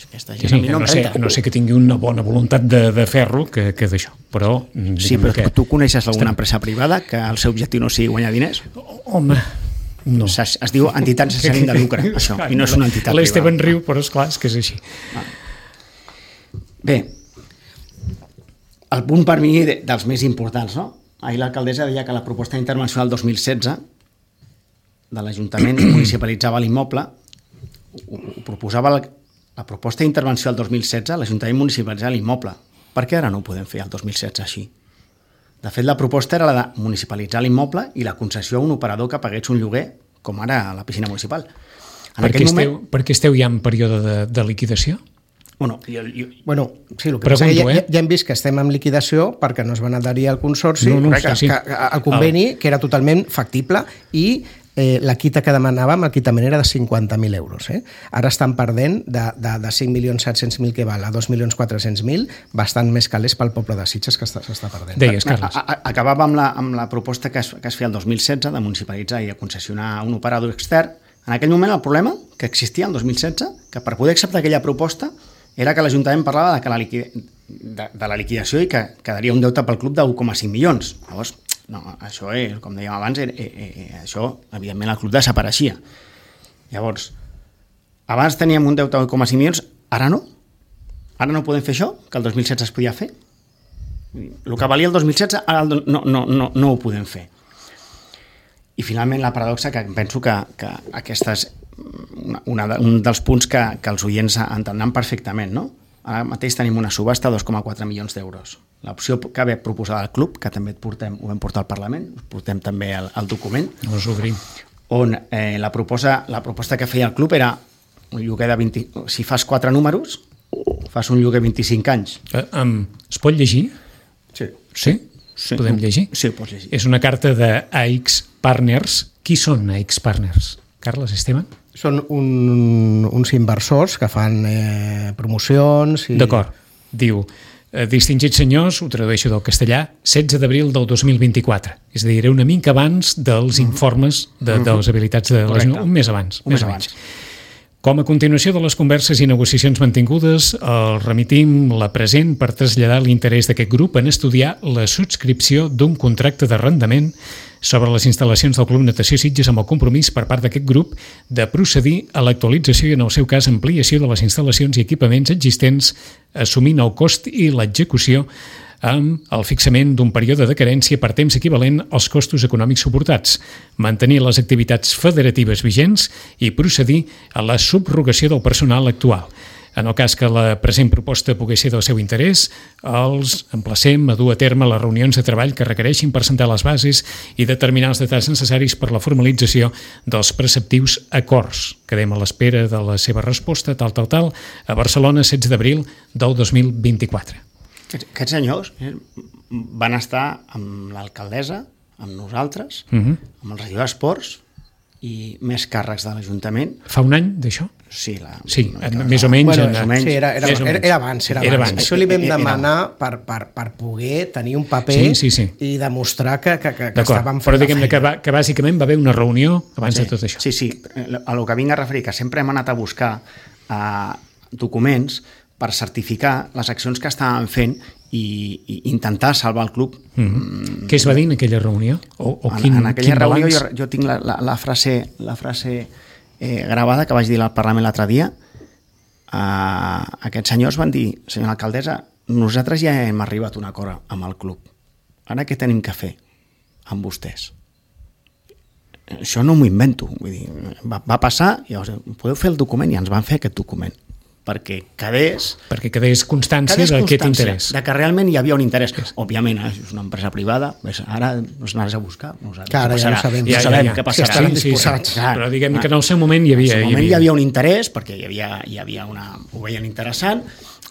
Aquesta gent sí, a mi no, no, sé, no sé que tingui una bona voluntat de, de fer-lo que, que d'això, però... Sí, però que... tu coneixes alguna empresa privada que el seu objectiu no sigui guanyar diners? Home, no. Es, es diu entitats sense ànim de lucre, això, i no és una entitat privada. L'Esteban riu, però esclar, és que és així. Bé, el punt per mi dels més importants, no? Ahir l'alcaldessa deia que la proposta d'intervenció del dos mil setze de l'Ajuntament municipalitzava l'immoble, ho, ho proposava la, la proposta d'intervenció del dos mil setze, l'Ajuntament municipalitzava l'immoble. Per què ara no ho podem fer el dos mil setze així? De fet, la proposta era la de municipalitzar l'immoble i la concessió a un operador que pagués un lloguer, com ara a la piscina municipal. En per, què moment... esteu, per què esteu ja en període de, de liquidació? Bueno, jo, jo... bueno, sí, el que Pregunto, passa que ja, eh? ja hem vist que estem en liquidació perquè no es van adherir al consorci, no, no, que, sí, sí. que, el conveni, oh. que era totalment factible, i eh, la quita que demanàvem, el quitament era de cinquanta mil euros. Eh? Ara estan perdent de, de, de cinc milions set-cents mil que val a dos milions quatre-cents mil, bastant més calés pel poble de Sitges que s'està perdent. Deies, Carles. A, a, acabava amb la, amb la proposta que es, que es feia el dos mil setze de municipalitzar i concessionar un operador extern. En aquell moment el problema que existia el dos mil setze, que per poder acceptar aquella proposta era que l'Ajuntament parlava de, que la liquid... de, de la liquidació i que quedaria un deute pel club de un coma cinc milions. Llavors, no, això, és, com dèiem abans, eh, eh, eh, això, evidentment, el club desapareixia. Llavors, abans teníem un deute de un coma cinc milions, ara no. Ara no podem fer això, que el dos mil setze es podia fer. El que valia el dos mil setze, ara no, no, no, no ho podem fer. I finalment la paradoxa, que penso que, que aquesta és una, una, un dels punts que, que els oients entendran perfectament, no? Ara mateix tenim una subhasta de dos coma quatre milions d'euros. L'opció que ve proposada al club, que també et portem, ho vam portar al Parlament, us portem també el, el document, on eh, la, proposa, la proposta que feia el club era un lloguer de vint... Si fas quatre números, fas un lloguer vint-i-cinc anys. Eh, um, es pot llegir? Sí. Sí? Sí. Podem llegir? Sí, ho pots llegir. És una carta de A X Partners. Qui són A X Partners? Carles, Esteban? Són un, uns inversors que fan eh, promocions... I... D'acord. Diu, eh, distingits senyors, ho tradueixo del castellà, setze d'abril del dos mil vint-i-quatre. És a dir, era una mica abans dels informes de, de les habilitats de les... Un mes abans. Un mes abans. Com a continuació de les converses i negociacions mantingudes, el remitim la present per traslladar l'interès d'aquest grup en estudiar la subscripció d'un contracte d'arrendament sobre les instal·lacions del Club Natació Sitges amb el compromís per part d'aquest grup de procedir a l'actualització i, en el seu cas, ampliació de les instal·lacions i equipaments existents, assumint el cost i l'execució amb el fixament d'un període de carència per temps equivalent als costos econòmics suportats, mantenir les activitats federatives vigents i procedir a la subrogació del personal actual. En el cas que la present proposta pogués ser del seu interès, els emplacem a dur a terme les reunions de treball que requereixin per sentar les bases i determinar els detalls necessaris per la formalització dels preceptius acords. Quedem a l'espera de la seva resposta, tal, tal, tal, a Barcelona, setze d'abril del dos mil vint-i-quatre. Aquests senyors van estar amb l'alcaldessa, amb nosaltres, uh-huh. amb el regidor d'Esports, i més càrrecs de l'Ajuntament. Fa un any d'això? Sí, la, sí més o menys. Bueno, en, menys. Sí, era, era, era, era, abans, era, era abans. abans. Això li vam demanar per, per, per poder tenir un paper sí, sí, sí. i demostrar que, que, que estàvem fent però diguem-ne que, que bàsicament va haver una reunió abans sí, de tot això. Sí, sí, a lo que vinc a referir, que sempre hem anat a buscar uh, documents per certificar les accions que estàvem fent i, i intentar salvar el club. Mm-hmm. Què es va dir en aquella reunió? O, o en, quin, en aquella quin reunió balanç? jo, jo tinc la, la, la frase, la frase eh, gravada que vaig dir al Parlament l'altre dia. Uh, aquests senyors van dir, senyora alcaldessa, nosaltres ja hem arribat a un acord amb el club. Ara què tenim que fer amb vostès? Això no m'ho invento. Vull dir, va, va passar, i llavors, podeu fer el document, i ens van fer aquest document perquè quedés... Perquè quedés constància d'aquest interès. De que realment hi havia un interès. Yes. Òbviament, eh, és una empresa privada, ara ens n'has a buscar. No sabem, Clar, ja ho sabem. Ja, ja, sabem ja, què passarà. Sí, sí, sí, sí. Però diguem que en el seu moment hi havia... En el seu moment hi havia un interès, perquè hi havia, hi havia una... ho veien interessant.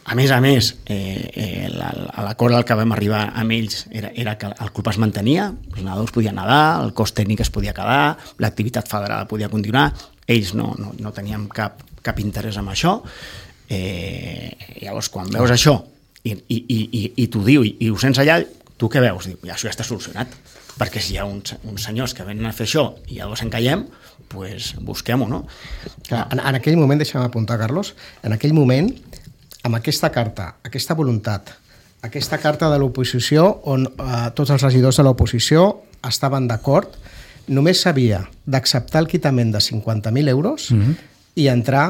A més a més, eh, eh, l'acord al que vam arribar amb ells era, era que el club es mantenia, els nedadors podien nedar, el cos tècnic es podia quedar, l'activitat federada podia continuar, ells no, no, no teníem cap, cap interès en això. Eh, llavors quan veus això i, i, i, i t'ho diu i, i ho sents allà, tu què veus? Diu, ja, això ja està solucionat, perquè si hi ha uns, uns senyors que venen a fer això i llavors encallem, pues busquem-ho, no? Clar, en, en aquell moment, deixa'm apuntar, Carlos, en aquell moment, amb aquesta carta, aquesta voluntat, aquesta carta de l'oposició on eh, tots els regidors de l'oposició estaven d'acord, només s'havia d'acceptar el quitament de cinquanta mil euros mm-hmm. i entrar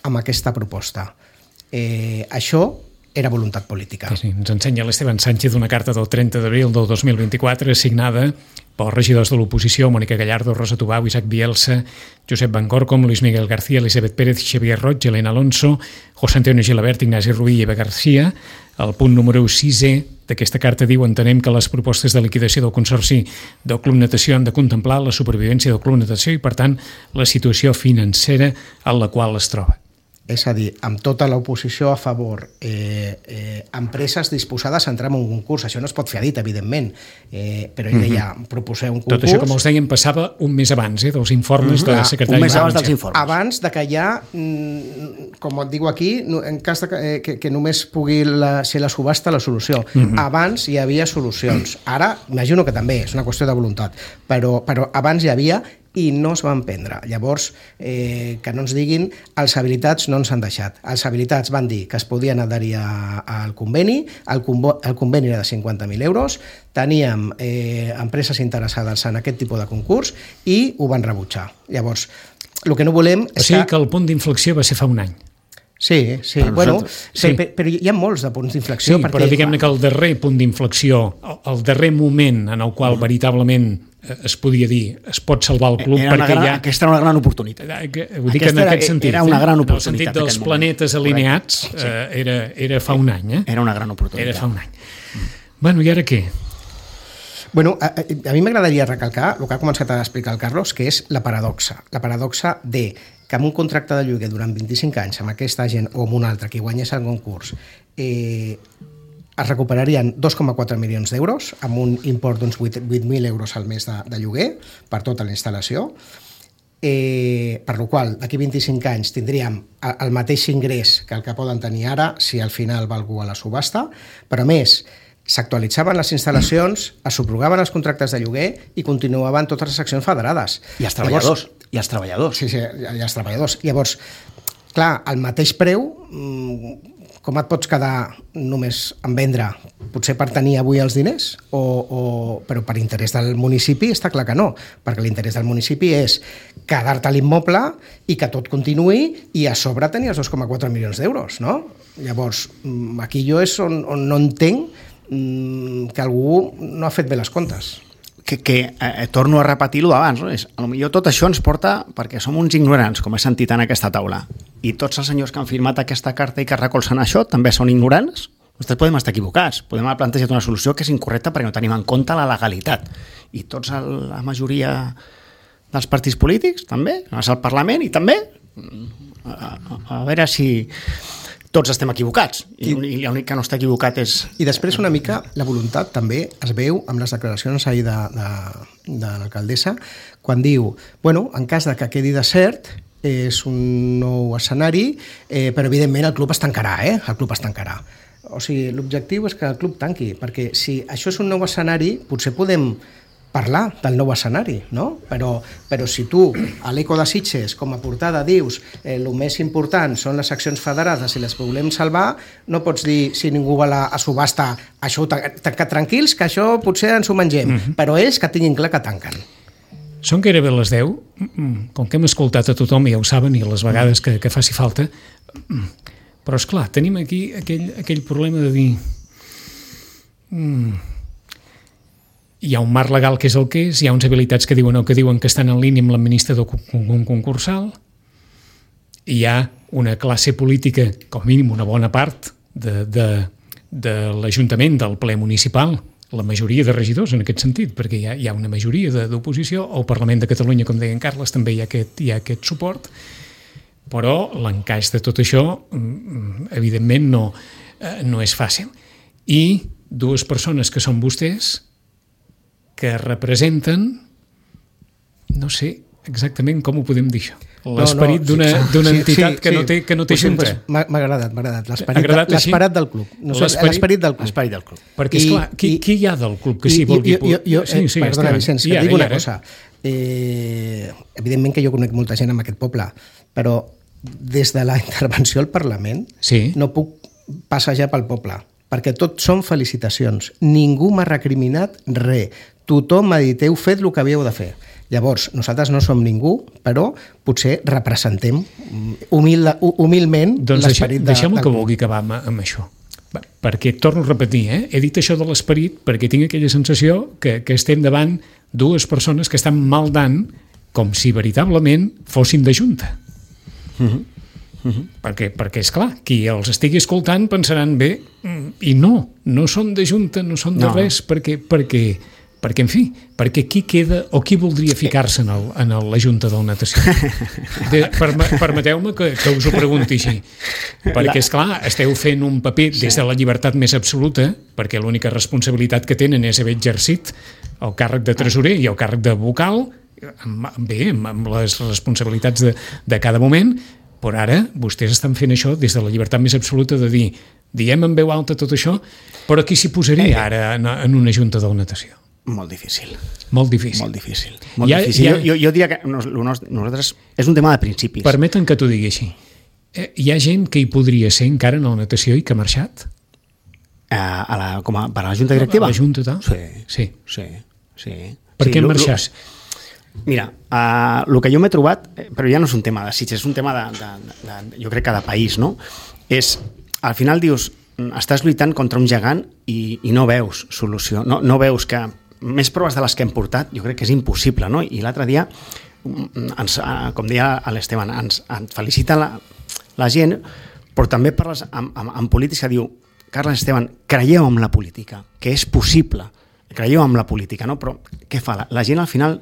amb aquesta proposta. Eh, això era voluntat política. Sí, sí. Ens ensenya l'Esteban Sánchez una carta del trenta d'abril del dos mil vint-i-quatre signada pels regidors de l'oposició, Mònica Gallardo, Rosa Tubau, Isaac Bielsa, Josep Vancorcom, Luis Miguel García, Elisabet Pérez, Xavier Roig, Elena Alonso, José Antonio Gilabert, Ignasi Ruiz i Eva García. El punt número sisè d'aquesta carta diu: entenem que les propostes de liquidació del Consorci del Club Natació han de contemplar la supervivència del Club Natació i, per tant, la situació financera en la qual es troba. És a dir, amb tota l'oposició a favor, eh, eh, empreses disposades a entrar en un concurs. Això no es pot fer a dit, evidentment, eh, però ell deia, proposeu un concurs... Tot això, com els deien, passava un mes abans, eh, dels informes mm-hmm. de secretari. Un mes abans dels informes. Abans de que ja, com et dic aquí, en cas de que, que, que només pugui la, ser la subhasta la solució. Mm-hmm. Abans hi havia solucions. Ara, imagino que també és una qüestió de voluntat, però, però abans hi havia i no es van prendre. Llavors, eh, que no ens diguin, els habilitats no ens han deixat. Els habilitats van dir que es podien adherir al conveni, el, convo, el conveni era de cinquanta mil euros, teníem eh, empreses interessades en aquest tipus de concurs i ho van rebutjar. Llavors, el que no volem... O sigui que el punt d'inflexió va ser fa un any. Sí, sí. Però, bueno, sí. Però, però hi ha molts de punts d'inflexió. Sí, perquè... però diguem-ne que el darrer punt d'inflexió, el darrer moment en el qual veritablement es podia dir, es pot salvar el club, era perquè gran, ja... Aquesta era una gran oportunitat. Ho dic aquesta en aquest era, sentit. Era una gran oportunitat. En el sentit dels planetes alineats, sí. eh, era, era fa un any. Eh? Era una gran oportunitat. Era fa un any. Mm. Bueno, i ara què? Bueno, a, a mi m'agradaria recalcar el que ha començat a explicar el Carlos, que és la paradoxa. La paradoxa de que amb un contracte de lloguer durant vint-i-cinc anys amb aquesta gent o amb un altre que guanyés el concurs eh, es recuperarien dos coma quatre milions d'euros amb un import d'uns vuit mil euros al mes de, de lloguer per tota la instal·lació, eh, per la qual d'aquí vint-i-cinc anys tindríem el mateix ingrés que el que poden tenir ara si al final va algú a la subhasta, però a més s'actualitzaven les instal·lacions, es subrogaven els contractes de lloguer i continuaven totes les accions federades. I els treballadors. Llavors, I els treballadors. Sí, sí, i els treballadors. Llavors, clar, al mateix preu, com et pots quedar només en vendre? Potser per tenir avui els diners? O, o, però per interès del municipi està clar que no, perquè l'interès del municipi és quedar-te a l'immoble i que tot continuï i a sobre tenir els dos coma quatre milions d'euros, no? Llavors, aquí jo és on, on no entenc que algú no ha fet bé les comptes. Que, que eh, torno a repetir-ho d'abans, no? És, potser tot això ens porta perquè som uns ignorants, com he sentit en aquesta taula, i tots els senyors que han firmat aquesta carta i que recolzen això també són ignorants. Nosaltres podem estar equivocats, podem haver plantejat una solució que és incorrecta perquè no tenim en compte la legalitat, i tots el, la majoria dels partits polítics també, al Parlament i també a, a, a veure si tots estem equivocats, i, I l'únic que no està equivocat és... I després una mica la voluntat també es veu amb les declaracions ahir de, de, de l'alcaldessa, quan diu, bueno, en cas de que quedi desert, és un nou escenari, eh, però evidentment el club es tancarà, eh? El club es tancarà. O sigui, l'objectiu és que el club tanqui, perquè si això és un nou escenari, potser podem parlar del nou escenari, no? Però, però si tu, a l'Eco de Sitges, com a portada, dius eh, el més important són les accions federades i les volem salvar, no pots dir, si ningú va a subhasta, això ho tancat tranquils, que això potser ens ho mengem, mm-hmm. però és que tinguin clar que tanquen. Són gairebé les deu, com que hem escoltat a tothom, ja ho saben, i a les vegades que, que faci falta, però és clar, tenim aquí aquell, aquell problema de dir mm, hi ha un marc legal que és el que és, hi ha uns habilitats que diuen o que diuen que estan en línia amb l'administrador concursal, hi ha una classe política, com mínim una bona part de, de, de l'Ajuntament, del ple municipal, la majoria de regidors en aquest sentit, perquè hi ha, hi ha una majoria d'oposició, al Parlament de Catalunya, com deia en Carles, també hi ha aquest, hi ha aquest suport, però l'encaix de tot això, evidentment, no, no és fàcil. I dues persones que són vostès, que representen, no sé exactament com ho podem dir això, l'esperit no, no, sí, d'una sí, entitat sí, que, sí. No té, que no té pues junta. Pues, m'ha agradat, m'ha agradat. L'esperit del club. No sé, l'esperit del club. L'esperit del club. Perquè, esclar, qui, qui hi ha del club que s'hi vulgui... Jo, jo, jo, sí, sí, eh, perdona, Vicenç, que et dic una cosa. Eh, evidentment que jo conec molta gent en aquest poble, però des de la intervenció al Parlament sí. no puc passejar pel poble, perquè tot són felicitacions. Ningú m'ha recriminat res. Tothom m'ha dit, heu fet el que havíeu de fer. Llavors, nosaltres no som ningú, però potser representem humil, humilment doncs l'esperit de... Deixem-ho que vulgui acabar amb, amb això. Perquè, torno a repetir, eh? he dit això de l'esperit perquè tinc aquella sensació que, que estem davant dues persones que estan maldant com si veritablement fossin de junta. Uh-huh. Uh-huh. Perquè, perquè, esclar, qui els estigui escoltant pensaran bé, i no, no són de junta, no són de no. res, perquè, perquè, perquè, en fi, perquè qui queda o qui voldria ficar-se en, el, en el, la Junta del Natació? De, perme, permeteu-me que, que us ho pregunti així. Perquè, esclar, esteu fent un paper des de la llibertat més absoluta, perquè l'única responsabilitat que tenen és haver exercit el càrrec de tresorer i el càrrec de vocal, bé, amb les responsabilitats de, de cada moment, però ara vostès estan fent això des de la llibertat més absoluta de dir, diem en veu alta tot això, però qui s'hi posaria ara en, en una junta de natació? Molt difícil. Molt difícil. Molt difícil. Molt ha, difícil. Ha... Jo, jo diria que nosaltres és un tema de principis. Permeten que t'ho digui així. Hi ha gent que hi podria ser encara en la natació i que ha marxat? A, a la, com a, per a la junta directiva? A la junta, tal? Sí. Sí. sí, sí. Per sí, què han marxat? Mira, uh, el que jo m'he trobat, però ja no és un tema de Sitges, és un tema de, de, de, de, jo crec que de país, no? És, al final dius, estàs lluitant contra un gegant i, i no veus solució, no, no veus que més proves de les que hem portat, jo crec que és impossible, no? I l'altre dia, ens, com deia l'Esteban, ens, ens felicita la, la gent, però també parles amb, amb, amb polítics que diu, Carles, Esteban, creieu en la política, que és possible, creieu en la política, no? Però què fa? La, la gent al final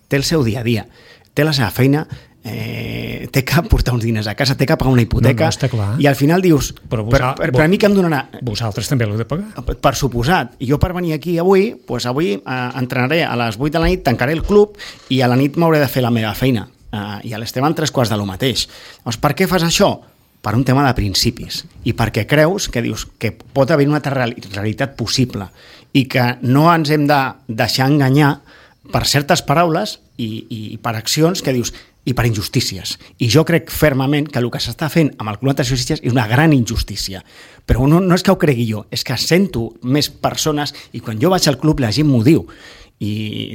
té el seu dia a dia, té la seva feina, eh, té que portar uns diners a casa, té que pagar una hipoteca, no, no, està clar. I al final dius, però vosa, per, per, per a mi que em donarà... Vosaltres també l'heu de pagar. Per, per suposat. I jo per venir aquí avui, pues avui eh, entrenaré a les vuit de la nit, tancaré el club i a la nit m'hauré de fer la meva feina. Eh, I a l'Esteban tres quarts de lo mateix. Llavors, per què fas això? Per un tema de principis. I perquè creus que dius que pot haver una altra realitat possible i que no ens hem de deixar enganyar per certes paraules i, i per accions que dius, i per injustícies. I jo crec fermament que el que s'està fent amb el Club Natació Sitges és una gran injustícia. Però no, no és que ho cregui jo, és que sento més persones i quan jo vaig al club la gent m'ho diu. I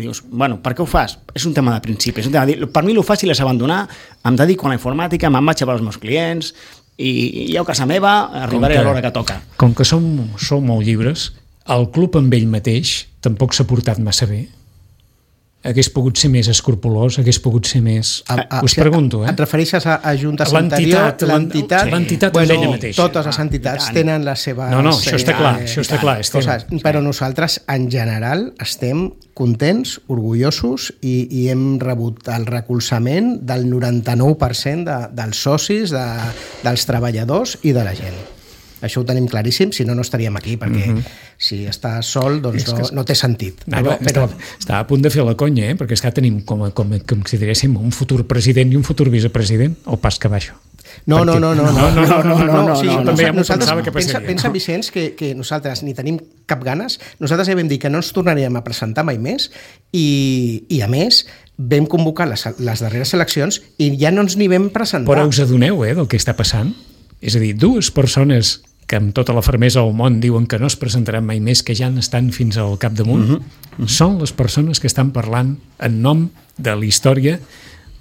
dius, bueno, per què ho fas? És un tema de principi. És un tema de... Per mi el fàcil és abandonar, em dedico a la informàtica, me'n vaig a veure els meus clients i jo a casa meva arribaré que, a l'hora que toca. Com que som, som molt llibres, el club amb ell mateix tampoc s'ha portat massa bé. hagués pogut ser més escrupolós, hagués pogut ser més... A, a, us pregunto, eh? Et refereixes a, a juntes anterior? L'entitat, l'entitat bueno, és ella mateixa. Totes les entitats ah, tenen les seves... No, no, això està clar, eh, això està clar. Coses, però nosaltres, en general, estem contents, orgullosos i, i hem rebut el recolzament del noranta-nou per cent de, dels socis, de, dels treballadors i de la gent. Això ho tenim claríssim, si no, no estaríem aquí, perquè uh-huh. si està sol, doncs no, no té sentit. No, però, però... Està, està a punt de fer la conya, eh? Perquè és que tenim com, com, com si diguéssim un futur president i un futur vicepresident, o pas que baixo. No, no, no, no, no, no, no, no, no, no, sí, no, també ja m'ho pensava que pensa, passaria. Pensa, Vicenç, que, que nosaltres ni tenim cap ganes, nosaltres ja vam dir que no ens tornaríem a presentar mai més i, i a més, vam convocar les, les darreres eleccions i ja no ens n'hi vam presentar. Però us adoneu, eh, del que està passant? És a dir, dues persones que amb tota la fermesa del món diuen que no es presentaran mai més, que ja estan fins al capdamunt, uh-huh. Uh-huh. són les persones que estan parlant en nom de la història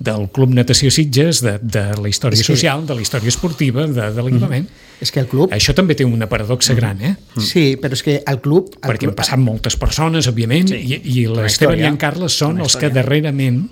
del Club Natació Sitges, de, de la història que... social, de la història esportiva, de, de l'equipament. Uh-huh. És que el club... Això també té una paradoxa uh-huh. gran, eh? Sí, però és que el club... El Perquè club... han passat moltes persones, òbviament, sí. i, i l'Esteban i en Carles són els que darrerament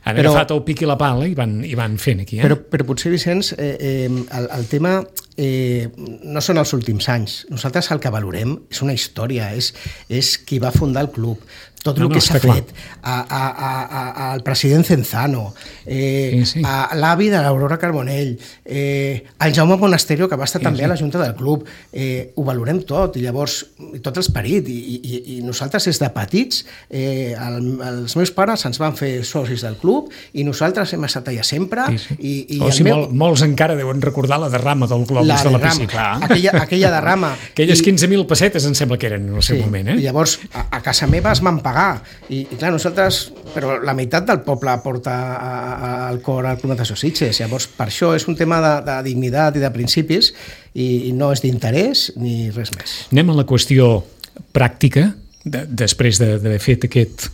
han però, agafat el pic i la pala i van, i van fent aquí. Eh? Però, però potser, Vicenç, eh, eh, el, el tema eh, no són els últims anys. Nosaltres el que valorem és una història, és, és qui va fundar el club, tot no, el que no, s'ha fet, a, a, a, a, al president Cenzano, eh, sí, sí. a l'avi de l'Aurora Carbonell, eh, al Jaume Monasterio, que va estar sí, també sí. a la Junta del Club. Eh, ho valorem tot, i llavors tot l'esperit, i, i, i nosaltres des de petits, eh, el, els meus pares ens van fer socis del club, i nosaltres hem estat allà sempre. Sí, sí. I, i o sigui, meu... mol, molts encara deuen recordar la derrama del globus la de la piscina. Aquella, aquella derrama. Aquelles quinze mil pessetes em sembla que eren en el seu sí, moment. Eh? I llavors, a, a casa meva es van pagar. I, i clar, nosaltres, però la meitat del poble porta a, a, al cor al Club Natació Sitges, llavors per això és un tema de, de dignitat i de principis i, i no és d'interès ni res més. Anem a la qüestió pràctica, de, després d'haver fet aquest,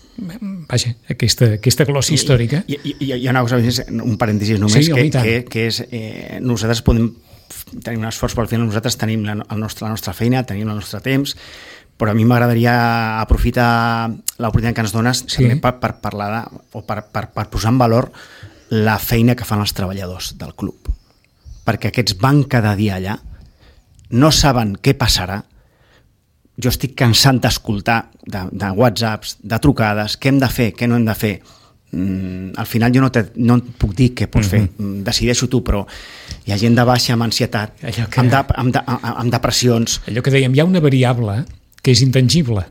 vaja, aquesta, aquesta glòssia històrica. I, i, i, hi ha una cosa, un parèntesis només, sí, que, que, que és, eh, nosaltres podem tenir un esforç, però al final nosaltres tenim la, el nostre, la nostra feina, tenim el nostre temps, però a mi m'agradaria aprofitar l'oportunitat que ens dones sí. també per, per parlar de, o per, per, per posar en valor la feina que fan els treballadors del club. Perquè aquests van cada dia allà, no saben què passarà. Jo estic cansant d'escoltar de, de whatsapps, de trucades, què hem de fer, què no hem de fer. Mm, al final jo no, te, no et puc dir què pots mm-hmm. fer, decideixo tu, però hi ha gent de baixa amb ansietat, que... amb, de, amb, de, amb depressions. Allò que dèiem, hi ha una variable que és intangible.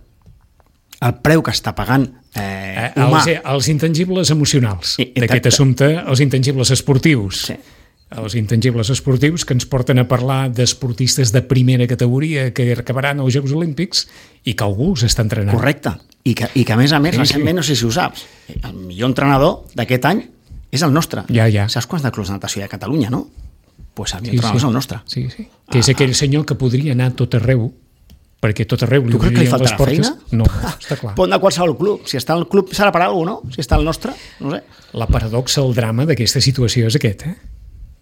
El preu que està pagant eh, eh, humà. Els, els intangibles emocionals d'aquest assumpte, els intangibles esportius. Sí. Els intangibles esportius que ens porten a parlar d'esportistes de primera categoria que acabaran als Jocs Olímpics i que algú els està entrenant. Correcte. I que, i que a més a més, sí, recentment, sí. no sé si ho saps, el millor entrenador d'aquest any és el nostre. Ja, ja. Saps quants de clubs de natació hi ha a Catalunya, no? Doncs pues el millor sí, entrenador sí. és el nostre. Sí, sí. Que és aquell senyor que podria anar tot arreu, perquè tot arreu li obrien les portes. Tu creus que li faltarà No, feina? està clar. Pot anar a qualsevol club. Si està al club serà per alguna cosa, no? Si està al nostre, no sé. La paradoxa, el drama d'aquesta situació és aquest, eh?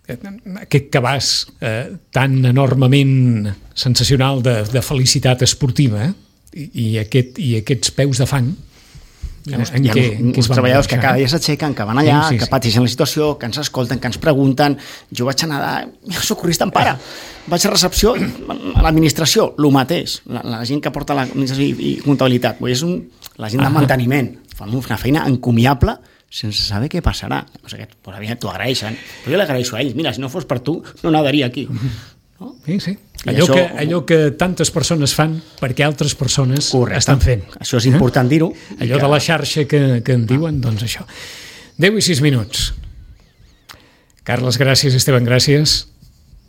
Aquest cabàs eh, tan enormement sensacional de, de felicitat esportiva eh? I, i, aquest, i aquests peus de fang hi ha, en hi ha què, uns, uns treballadors que cada dia s'aixequen, que van allà, sí, sí, que pateixen la situació, que ens escolten, que ens pregunten. Jo vaig anar de socorrista en pare, vaig a recepció, a l'administració, el mateix, la, la gent que porta l'administració i, i comptabilitat, és un, la gent de manteniment, fan una feina encomiable sense saber què passarà. O sigui, t'ho agraeixen, però jo l'agraeixo a ells. Mira, si no fos per tu, no nadaria aquí. No? Sí, sí. Allò, això, que, allò que tantes persones fan perquè altres persones correcte. Estan fent. Això és important eh? dir-ho. Allò que... de la xarxa que, que en diuen, doncs això. deu i sis minuts. Carles, gràcies. Esteban, gràcies.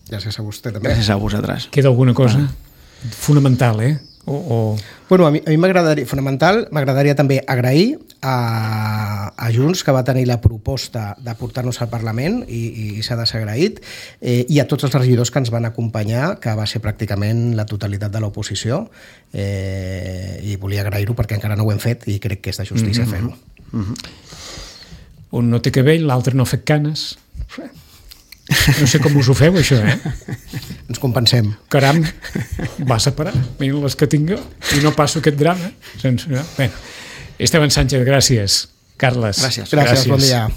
Gràcies a vostè també. Gràcies a vosaltres. Queda alguna cosa? Ah. Fonamental, eh? O, o... Bueno, a mi, a mi m'agradaria, fonamental, m'agradaria també agrair a, a Junts, que va tenir la proposta de portar-nos al Parlament i, i s'ha desagraït, eh, i a tots els regidors que ens van acompanyar, que va ser pràcticament la totalitat de l'oposició, eh, i volia agrair-ho perquè encara no ho hem fet i crec que és de justícia mm-hmm. fer-ho. Mm-hmm. Un no té cabell, l'altre no ha fet canes. No sé com us ho feu, això, eh? Ens compensem. Caram, va separar. Mira les que tinc jo i no passo aquest drama. Sense... Bueno, Esteban Sánchez, gràcies. Carles, gràcies. Gràcies, gràcies. Bon dia.